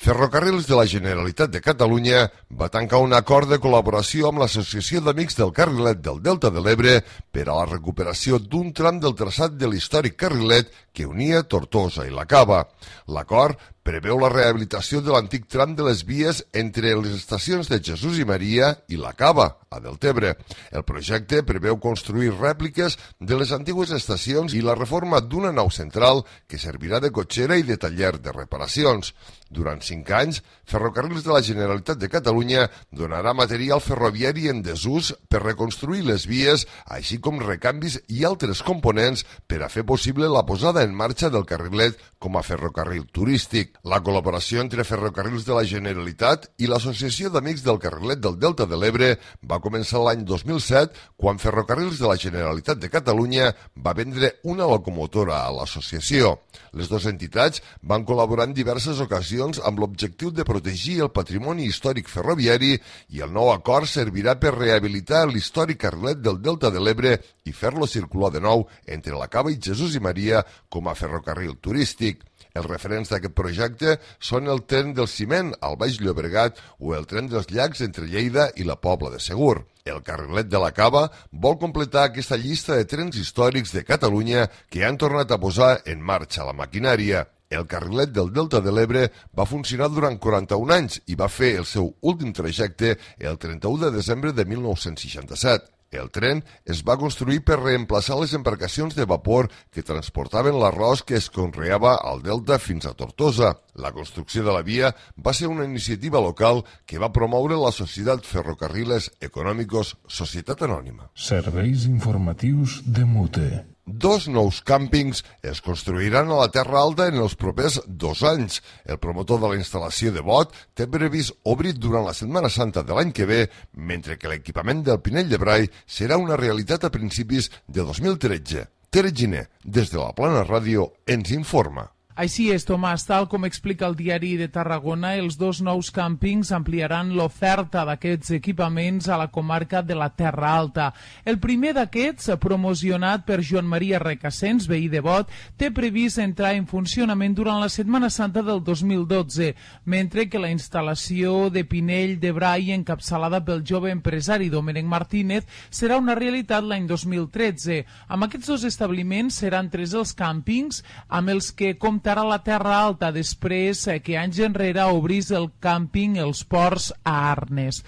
Ferrocarrils de la Generalitat de Catalunya va tancar un acord de col·laboració amb l'Associació d'Amics del Carrilet del Delta de l'Ebre per a la recuperació d'un tram del traçat de l'històric carrilet que unia Tortosa i la Cava. L'acord preveu la rehabilitació de l'antic tram de les vies entre les estacions de Jesús i Maria i la Cava, a Deltebre. El projecte preveu construir rèpliques de les antigues estacions i la reforma d'una nau central que servirà de cotxera i de taller de reparacions. Durant 5 anys, Ferrocarrils de la Generalitat de Catalunya donarà material ferroviari en desús per reconstruir les vies, així com recanvis i altres components per a fer possible la posada en marxa del carrilet com a ferrocarril turístic. La col·laboració entre Ferrocarrils de la Generalitat i l'Associació d'Amics del Carrilet del Delta de l'Ebre va començar l'any 2007, quan Ferrocarrils de la Generalitat de Catalunya va vendre una locomotora a l'associació. Les dues entitats van col·laborar en diverses ocasions amb l'objectiu de protegir el patrimoni històric ferroviari i el nou acord servirà per rehabilitar l'històric carrilet del Delta de l'Ebre i fer-lo circular de nou entre la Cava i Jesús i Maria com a ferrocarril turístic. Els referents d'aquest projecte són el tren del Ciment al Baix Llobregat o el tren dels Llacs entre Lleida i la Pobla de Segur. El carrilet de la Cava vol completar aquesta llista de trens històrics de Catalunya que han tornat a posar en marxa la maquinària. El carrilet del Delta de l'Ebre va funcionar durant 41 anys i va fer el seu últim trajecte el 31 de desembre de 1967. El tren es va construir per reemplaçar les embarcacions de vapor que transportaven l'arròs que es conreava al Delta fins a Tortosa. La construcció de la via va ser una iniciativa local que va promoure la Societat Ferrocarriles Econòmicos Societat Anònima. Serveis informatius de Mute. 2 nous càmpings es construiran a la Terra Alta en els propers 2 anys. El promotor de la instal·lació de Bot té previst obrir durant la Setmana Santa de l'any que ve, mentre que l'equipament del Pinell de Brai serà una realitat a principis de 2013. Tere Giner, des de la Plana Ràdio, ens informa. Així és, Tomàs, tal com explica el diari de Tarragona, els 2 nous càmpings ampliaran l'oferta d'aquests equipaments a la comarca de la Terra Alta. El primer d'aquests, promocionat per Joan Maria Recassens, veí de Bot, té previst entrar en funcionament durant la Setmana Santa del 2012, mentre que la instal·lació de Pinell de Brai, encapçalada pel jove empresari Domènec Martínez, serà una realitat l'any 2013. Amb aquests 2 establiments seran 3 els càmpings amb els que compten a la Terra Alta després que anys enrere obrís el càmping Els Ports a Arnes.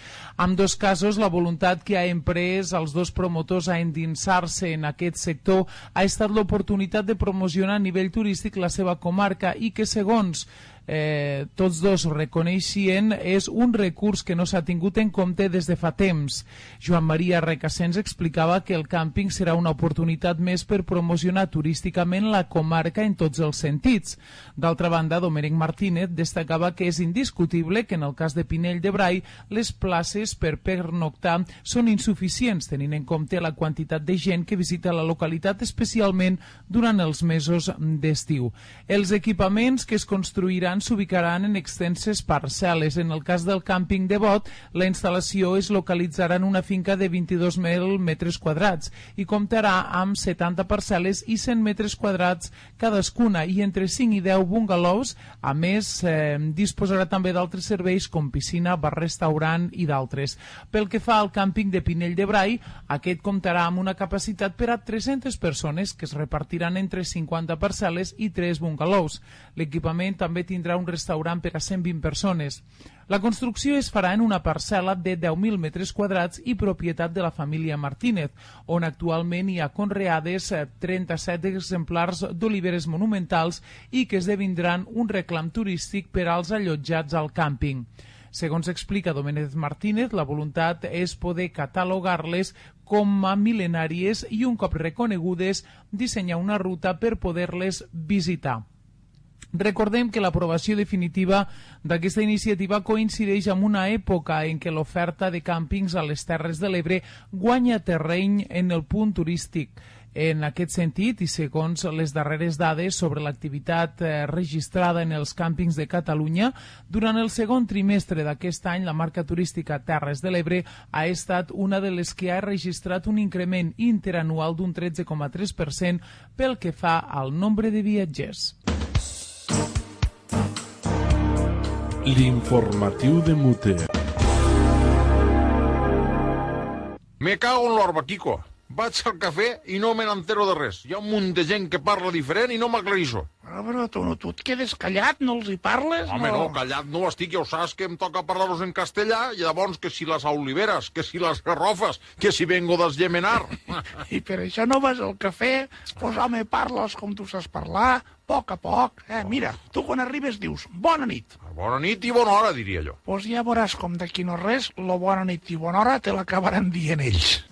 En 2 casos, la voluntat que ha emprès els 2 promotors a endinsar-se en aquest sector ha estat l'oportunitat de promocionar a nivell turístic la seva comarca i que, segons tots dos reconeixien, és un recurs que no s'ha tingut en compte des de fa temps. Joan Maria Recasens explicava que el càmping serà una oportunitat més per promocionar turísticament la comarca en tots els sentits. D'altra banda, Domènec Martínez destacava que és indiscutible que en el cas de Pinell de Brai les places per pernoctar són insuficients, tenint en compte la quantitat de gent que visita la localitat, especialment durant els mesos d'estiu. Els equipaments que es construiran s'ubicaran en extenses parcel·les. En el cas del càmping de Bot, la instal·lació es localitzarà en una finca de 22.000 metres quadrats i comptarà amb 70 parcel·les i 100 metres quadrats cadascuna i entre 5 i 10 bungalows. A més, disposarà també d'altres serveis com piscina, bar-restaurant i d'altres. Pel que fa al càmping de Pinell de Brai, aquest comptarà amb una capacitat per a 300 persones que es repartiran entre 50 parcel·les i 3 bungalows. L'equipament també tindrà un restaurant per a 120 persones. La construcció es farà en una parcel·la de 10.000 metres quadrats i propietat de la família Martínez, on actualment hi ha conreades 37 exemplars d'oliveres monumentals i que esdevindran un reclam turístic per als allotjats al càmping. Segons explica Domènec Martínez, la voluntat és poder catalogar-les com a mil·lenàries i, un cop reconegudes, dissenyar una ruta per poder-les visitar. Recordem que l'aprovació definitiva d'aquesta iniciativa coincideix amb una època en què l'oferta de càmpings a les Terres de l'Ebre guanya terreny en el punt turístic. En aquest sentit, i segons les darreres dades sobre l'activitat registrada en els càmpings de Catalunya, durant el segon trimestre d'aquest any, la marca turística Terres de l'Ebre ha estat una de les que ha registrat un increment interanual d'un 13,3% pel que fa al nombre de viatgers. L'informatiu de Mute. Me cago en l'orba, Quico. Vaig al cafè i no me n'entero de res. Hi ha un munt de gent que parla diferent i no m'aclarisso. Però tu et quedes callat, no els hi parles? Home, no, callat no estic, ja ho saps que em toca parlar-los en castellà, i llavors que si les oliveres, que si les garrofes, que si vengo dels Llemenar. I per això no vas al cafè? Pues home, parles com tu saps parlar, a poc. Mira, tu quan arribes dius bona nit. Bona nit i bona hora, diria jo. Pues ja veuràs com d'aquí no res, lo bona nit i bona hora te l'acabaran dient ells.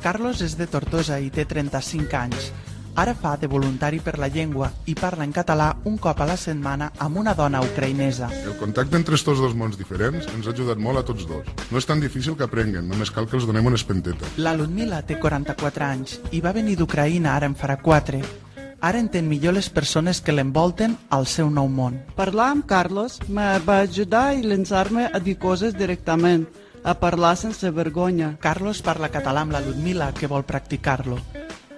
Carlos és de Tortosa i té 35 anys. Ara fa de voluntari per la llengua i parla en català un cop a la setmana amb una dona ucraïnesa. El contacte entre estos dos mons diferents ens ha ajudat molt a tots dos. No és tan difícil que aprenguen, només cal que els donem una espenteta. La Ludmila té 44 anys i va venir d'Ucraïna ara en farà 4. Ara entén millor les persones que l'envolten al seu nou món. Parlar amb Carlos me va ajudar i llançar-me a dir coses directament, a parlar sense vergonya. Carlos parla català amb la Ludmila, que vol practicar-lo.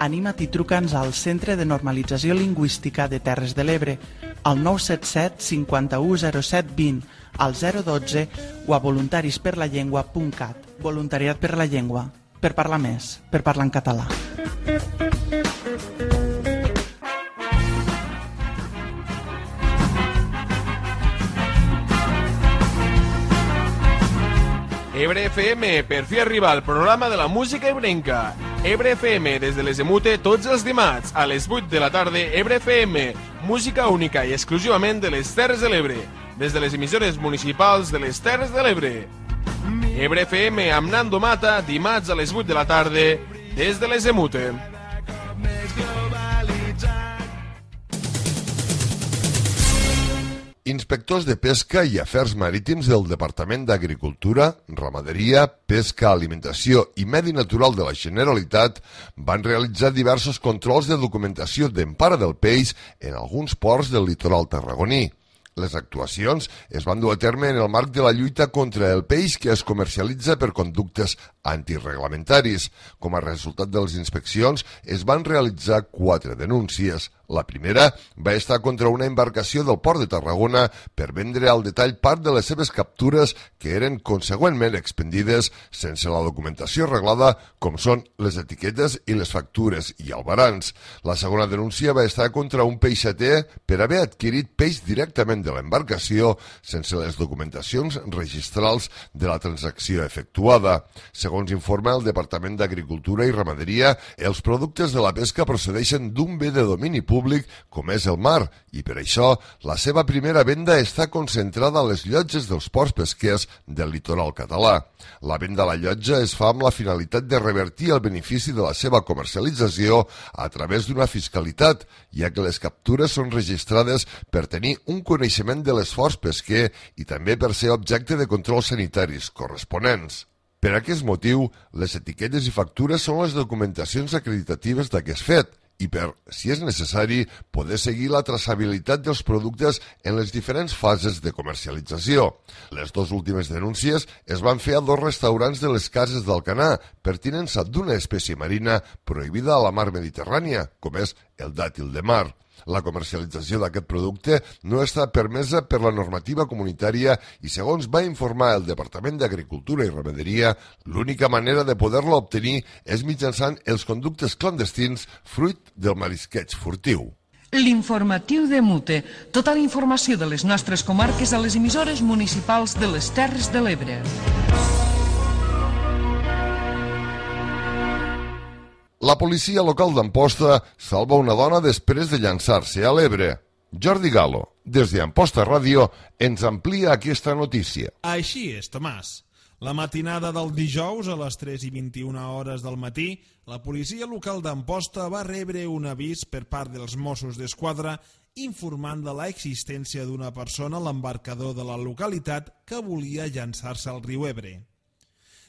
Anima't i truca'ns al Centre de Normalització Lingüística de Terres de l'Ebre, al 977 51 07 20, al 012 o a voluntarisperlallengua.cat. Voluntariat per la llengua, per parlar més, per parlar en català. Ebre FM, per fi arriba al programa de la música ebrenca. Ebre FM, des de les Emute, tots els dimarts, a les 8 de la tarda, Ebre FM, música única i exclusivament de les Terres de l'Ebre, des de les emissores municipals de les Terres de l'Ebre. Ebre FM amb Nando Mata, dimarts a les 8 de la tarda, des de les Emute. Inspectors de Pesca i Afers Marítims del Departament d'Agricultura, Ramaderia, Pesca, Alimentació i Medi Natural de la Generalitat van realitzar diversos controls de documentació d'empara del peix en alguns ports del litoral tarragoní. Les actuacions es van dur a terme en el marc de la lluita contra el peix que es comercialitza per conductes antireglamentaris. Com a resultat de les inspeccions, es van realitzar 4 denúncies. La primera va estar contra una embarcació del Port de Tarragona per vendre al detall part de les seves captures que eren consegüentment expendides sense la documentació reglada, com són les etiquetes i les factures i albarans. La segona denúncia va estar contra un peixater per haver adquirit peix directament de l'embarcació sense les documentacions registrals de la transacció efectuada. Segons Segons informa el Departament d'Agricultura i Ramaderia, els productes de la pesca procedeixen d'un bé de domini públic com és el mar i per això la seva primera venda està concentrada a les llotges dels ports pesquers del litoral català. La venda a la llotja es fa amb la finalitat de revertir el benefici de la seva comercialització a través d'una fiscalitat, ja que les captures són registrades per tenir un coneixement de l'esforç pesquer i també per ser objecte de controls sanitaris corresponents. Per aquest motiu, les etiquetes i factures són les documentacions acreditatives d'aquest fet i per, si és necessari, poder seguir la traçabilitat dels productes en les diferents fases de comercialització. Les dues últimes denúncies es van fer a 2 restaurants de les Cases d'Alcanar per tinença d'una espècie marina prohibida a la mar Mediterrània, com és el dàtil de mar. La comercialització d'aquest producte no està permesa per la normativa comunitària i, segons va informar el Departament d'Agricultura i Ramaderia, l'única manera de poder-la obtenir és mitjançant els conductes clandestins fruit del marisqueig furtiu. L'informatiu de Mute. Tota la informació de les nostres comarques a les emissores municipals de les Terres de l'Ebre. La policia local d'Amposta salva una dona després de llançar-se a l'Ebre. Jordi Galo, des d'Amposta Ràdio, ens amplia aquesta notícia. Així és, Tomàs. La matinada del dijous, a les 3:21 hores del matí, la policia local d'Amposta va rebre un avís per part dels Mossos d'Esquadra informant de l'existència d'una persona a l'embarcador de la localitat que volia llançar-se al riu Ebre.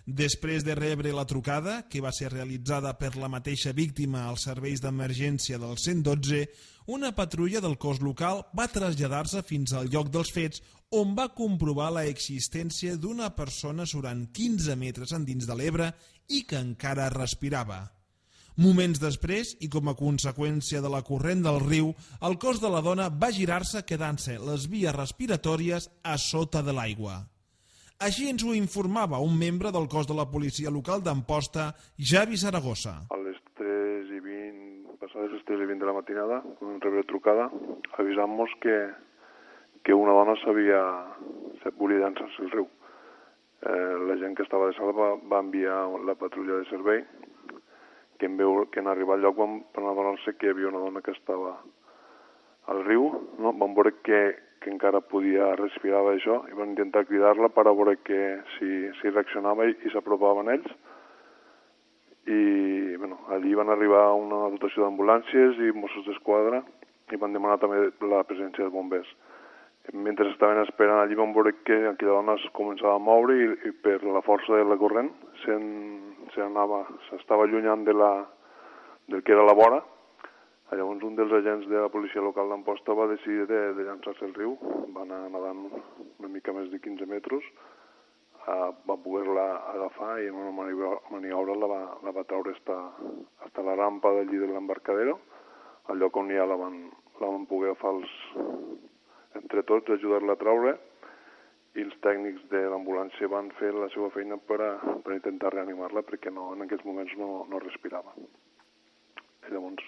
Després de rebre la trucada, que va ser realitzada per la mateixa víctima als serveis d'emergència del 112, una patrulla del cos local va traslladar-se fins al lloc dels fets, on va comprovar l'existència d'una persona surant 15 metres endins de l'Ebre i que encara respirava. Moments després, i com a conseqüència de la corrent del riu, el cos de la dona va girar-se quedant-se les vies respiratòries a sota de l'aigua. Així ens ho informava un membre del cos de la policia local d'Amposta, Javi Saragossa. A les 3:20, passades les 3:20 de la matinada, quan vam rebre trucada, avisant-nos que una dona volia llançar-se al riu. La gent que estava de sala va enviar la patrulla de servei, que en arribar al lloc van adonar-se que hi havia una dona que estava al riu, no? Van veure que encara podia respirar això i van intentar cridar-la per a veure si reaccionava i s'apropaven ells. I allí van arribar una dotació d'ambulàncies i Mossos d'Esquadra i van demanar també la presència de bombers. Mentre estaven esperant allí van veure que aquella dona es començava a moure i per la força de la corrent s'estava allunyant del que era la vora. Llavors un dels agents de la policia local d'Amposta va decidir de llançar-se al riu, va anar nedant una mica més de 15 metres, va poder-la agafar i en una maniobra la va treure fins a la rampa d'allí de l'embarcadero, al lloc on ja la van poder agafar entre tots, ajudar-la a treure, i els tècnics de l'ambulància van fer la seva feina per intentar reanimar-la perquè en aquests moments no respirava. Llavors,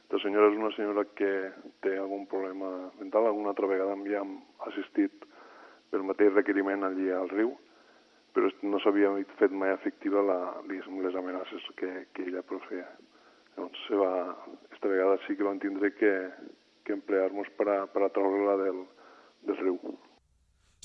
la senyora és una senyora que té algun problema mental. Alguna altra vegada ja hem assistit pel mateix requeriment allí al riu, però no s'havia fet mai efectiva les amenaces que ella proferia. Llavors, esta vegada sí que van tindre que emplear-nos per a treure-la del riu.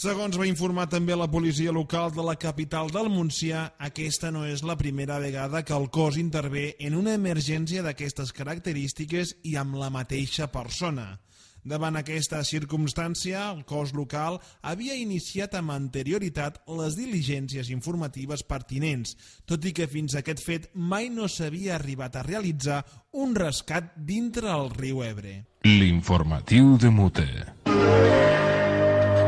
Segons va informar també la policia local de la capital del Montsià, aquesta no és la primera vegada que el cos intervé en una emergència d'aquestes característiques i amb la mateixa persona. Davant aquesta circumstància, el cos local havia iniciat amb anterioritat les diligències informatives pertinents, tot i que fins a aquest fet mai no s'havia arribat a realitzar un rescat dintre el riu Ebre. L'informatiu de Mute.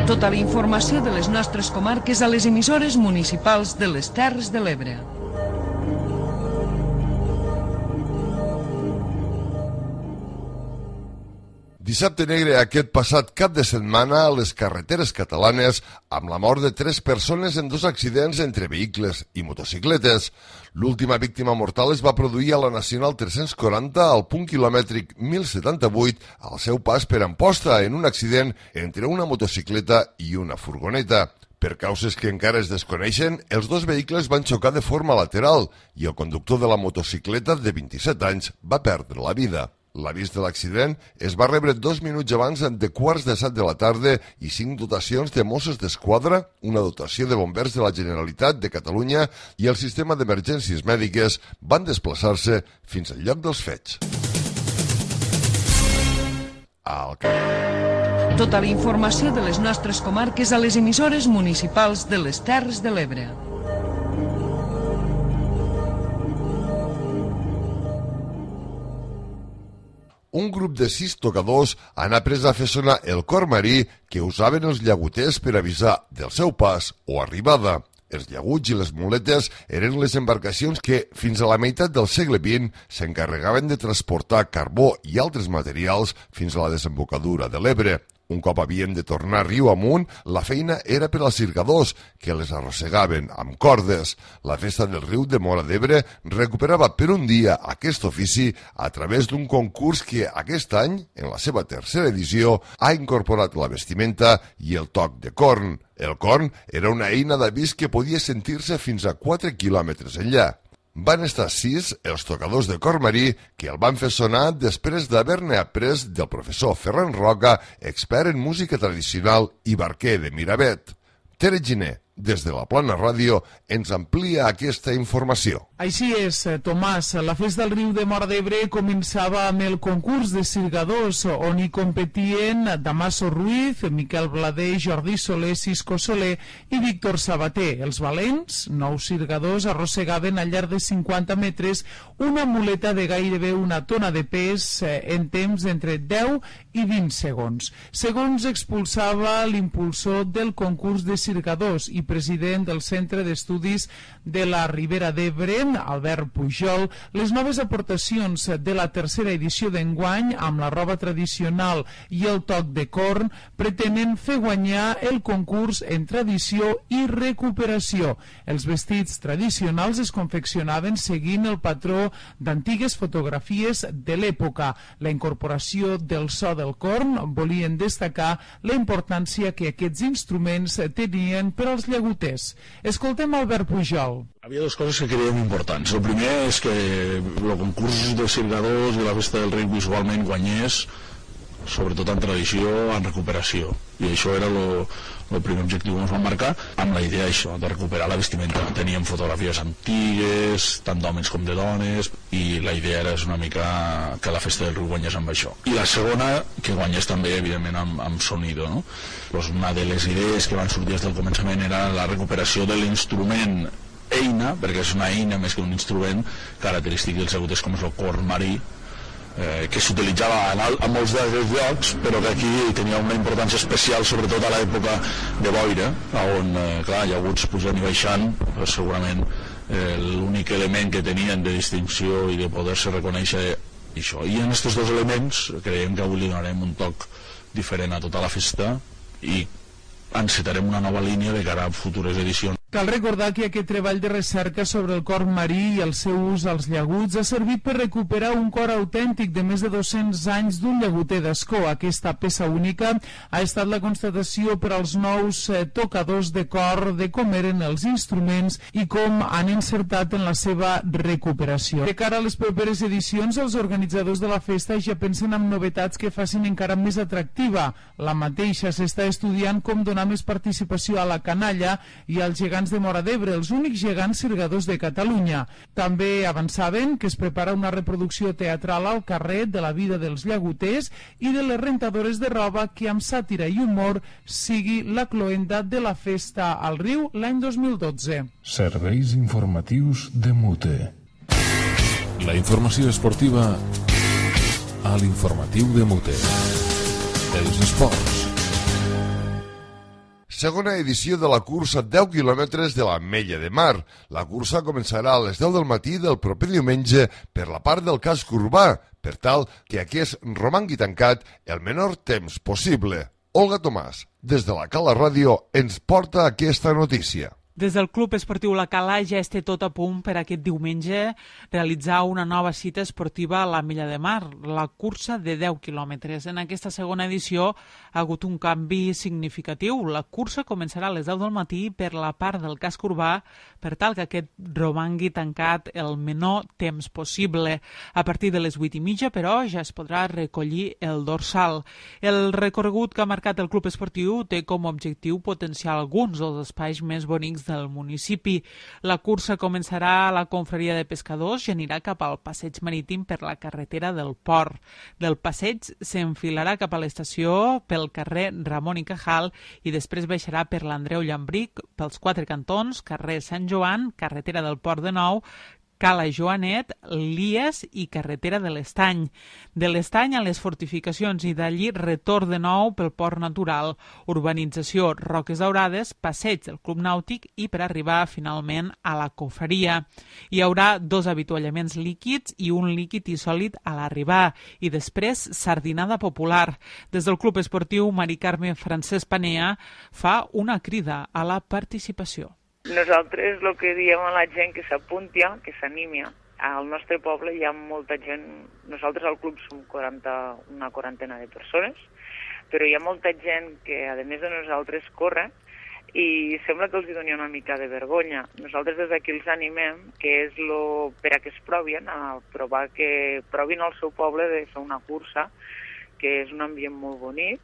Tota la informació de les nostres comarques a les emissores municipals de les Terres de l'Ebre. Dissabte negre aquest passat cap de setmana a les carreteres catalanes amb la mort de 3 persones en 2 accidents entre vehicles i motocicletes. L'última víctima mortal es va produir a la Nacional 340 al punt quilomètric 1078 al seu pas per Amposta en un accident entre una motocicleta i una furgoneta. Per causes que encara es desconeixen, els dos vehicles van xocar de forma lateral i el conductor de la motocicleta de 27 anys va perdre la vida. L'avís de l'accident es va rebre 2 minuts abans de 6:15 de la tarda i 5 dotacions de Mossos d'Esquadra, una dotació de bombers de la Generalitat de Catalunya i el sistema d'emergències mèdiques van desplaçar-se fins al lloc dels fets. Tota la informació de les nostres comarques a les emissores municipals de les Terres de l'Ebre. Un grup de 6 tocadors han après a fer sonar el cor marí que usaven els llaguters per avisar del seu pas o arribada. Els llaguts i les muletes eren les embarcacions que, fins a la meitat del segle XX, s'encarregaven de transportar carbó i altres materials fins a la desembocadura de l'Ebre. Un cop havien de tornar riu amunt, la feina era per als circadors, que les arrossegaven amb cordes. La festa del riu de Móra d'Ebre recuperava per un dia aquest ofici a través d'un concurs que aquest any, en la seva tercera edició, ha incorporat la vestimenta i el toc de corn. El corn era una eina d'avís que podia sentir-se fins a 4 quilòmetres enllà. Van estar 6 els tocadors de cor marí que el van fer sonar després d'haver-ne après del professor Ferran Roca, expert en música tradicional i barquer de Miravet. Tere Giner, des de la Plana Ràdio, ens amplia aquesta informació. Així és, Tomàs. La festa del riu de Móra d'Ebre començava amb el concurs de cirgadors, on hi competien Damaso Ruiz, Miquel Blader, Jordi Soler, Cisco Soler i Víctor Sabater. Els valents, 9 cirgadors, arrossegaven al llarg de 50 metres una muleta de gairebé una tona de pes en temps d'entre 10 i 20 segons. Segons expulsava l'impulsor del concurs de cirgadors i president del Centre d'Estudis de la Ribera d'Ebre, Albert Pujol, les noves aportacions de la tercera edició d'enguany, amb la roba tradicional i el toc de corn, pretenen fer guanyar el concurs en tradició i recuperació. Els vestits tradicionals es confeccionaven seguint el patró d'antigues fotografies de l'època. La incorporació del so del corn volien destacar la importància que aquests instruments tenien per als llaguters. Escoltem Albert Pujol. Havia dues coses que creiem importants. El primer és que el concurs de cirgadors i la festa del riu visualment guanyés, sobretot en tradició, en recuperació. I això era el primer objectiu que ens vam marcar, amb la idea això, de recuperar la vestimenta. Teníem fotografies antigues, tant d'homes com de dones, i la idea era una mica que la festa del riu guanyés amb això. I la segona, que guanyés també, evidentment, amb sonido, no? Pues una de les idees que van sortir des del començament era la recuperació de l'instrument eina, perquè és una eina més que un instrument característic dels llaguters com és el corn marí, que s'utilitzava a molts d'aquests llocs, però que aquí tenia una importància especial, sobretot a l'època de boira, on, clar, llaguts pujant i baixant, segurament l'únic element que tenien de distinció i de poder-se reconèixer això. I en aquests dos elements creiem que avui li donarem un toc diferent a tota la festa i encetarem una nova línia de cara a futures edicions. Cal recordar que aquest treball de recerca sobre el corn marí i el seu ús als llaguts ha servit per recuperar un cor autèntic de més de 200 anys d'un llaguter d'Ascó. Aquesta peça única ha estat la constatació per als nous tocadors de cor de com eren els instruments i com han encertat en la seva recuperació. De cara a les properes edicions, els organitzadors de la festa ja pensen en novetats que facin encara més atractiva. La mateixa s'està estudiant com donar més participació a la canalla i als gegants de Móra d'Ebre, els únics gegants cirgadors de Catalunya. També avançaven que es prepara una reproducció teatral al carrer de la vida dels llaguters i de les rentadores de roba que amb sàtira i humor sigui la cloenda de la festa al riu l'any 2012. Serveis informatius de Mute. La informació esportiva a l'informatiu de Mute. Els esports. Segona edició de la cursa 10 quilòmetres de l'Ametlla de Mar. La cursa començarà a les 10 del matí del proper diumenge per la part del casc urbà, per tal que aquest romangui tancat el menor temps possible. Olga Tomàs, des de la Cala Ràdio, ens porta aquesta notícia. Des del Club Esportiu La Cala ja es té tot a punt per aquest diumenge realitzar una nova cita esportiva a la Milla de Mar, la cursa de 10 quilòmetres. En aquesta segona edició ha hagut un canvi significatiu. La cursa començarà a les 10 del matí per la part del casc urbà per tal que aquest romangui tancat el menor temps possible. A partir de les 8:30, però, ja es podrà recollir el dorsal. El recorregut que ha marcat el Club Esportiu té com a objectiu potenciar alguns dels espais més bonics del municipi. La cursa començarà a la confraria de pescadors i anirà cap al passeig marítim per la carretera del Port. Del passeig s'enfilarà cap a l'estació pel carrer Ramon i Cajal i després baixarà per l'Andreu Llambric, pels 4 cantons, carrer Sant Joan, carretera del Port de Nou, Cala Joanet, Lies i carretera de l'Estany. De l'Estany a les fortificacions i d'allí retorn de nou pel port natural, urbanització Roques Daurades, passeig del Club Nàutic i per arribar finalment a la confraria. Hi haurà 2 avituallaments líquids i un líquid i sòlid a l'arribar i després sardinada popular. Des del Club Esportiu Mari Carme Francesc Panea fa una crida a la participació. Nosaltres el que diem a la gent que s'apunti, que s'animi. Al nostre poble hi ha molta gent, nosaltres al club som una quarantena de persones, però hi ha molta gent que a més de nosaltres corre i sembla que els hi doni una mica de vergonya. Nosaltres des d'aquí els animem, que és per a que es provin, que provin al seu poble de fer una cursa, que és un ambient molt bonic,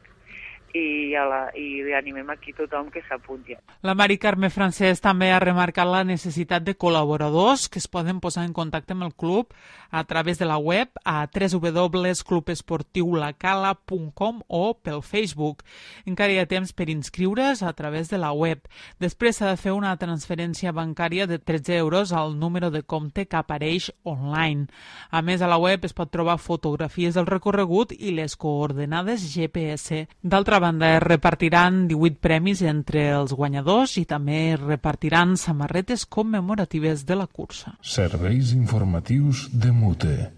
i animem aquí tothom que s'apunti. La Mari Carme Francesc també ha remarcat la necessitat de col·laboradors que es poden posar en contacte amb el club a través de la web a www.clubesportiulacala.com o pel Facebook. Encara hi ha temps per inscriure's a través de la web. Després s'ha de fer una transferència bancària de 13 euros al número de compte que apareix online. A més, a la web es pot trobar fotografies del recorregut i les coordenades GPS. D'altra banda, es repartiran 18 premis entre els guanyadors i també repartiran samarretes commemoratives de la cursa. Serveis informatius de Mute.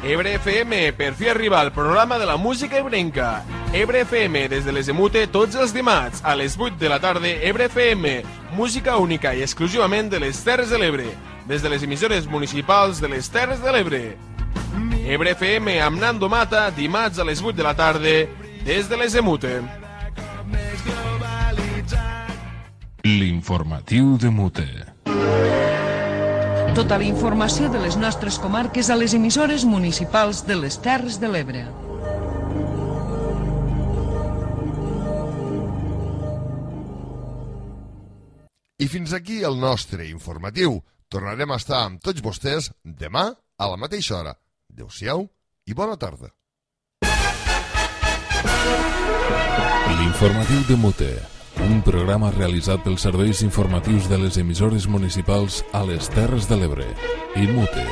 Ebre FM, per fi arriba el programa de la música ebrenca. Ebre FM, des de les Emute, tots els dimarts, a les 8 de la tarda, Ebre FM, música única i exclusivament de les Terres de l'Ebre, des de les emissores municipals de les Terres de l'Ebre. Ebre FM amb Nando Mata, dimarts a les 8 de la tarda, des de les Emute. L'informatiu de Mute. Tota la informació de les nostres comarques a les emissores municipals de les Terres de l'Ebre. I fins aquí el nostre informatiu. Tornarem a estar amb tots vostès demà a la mateixa hora. Adéu-siau i bona tarda. L'informatiu de Mute, un programa realitzat pels serveis informatius de les emissores municipals a les Terres de l'Ebre i Mute.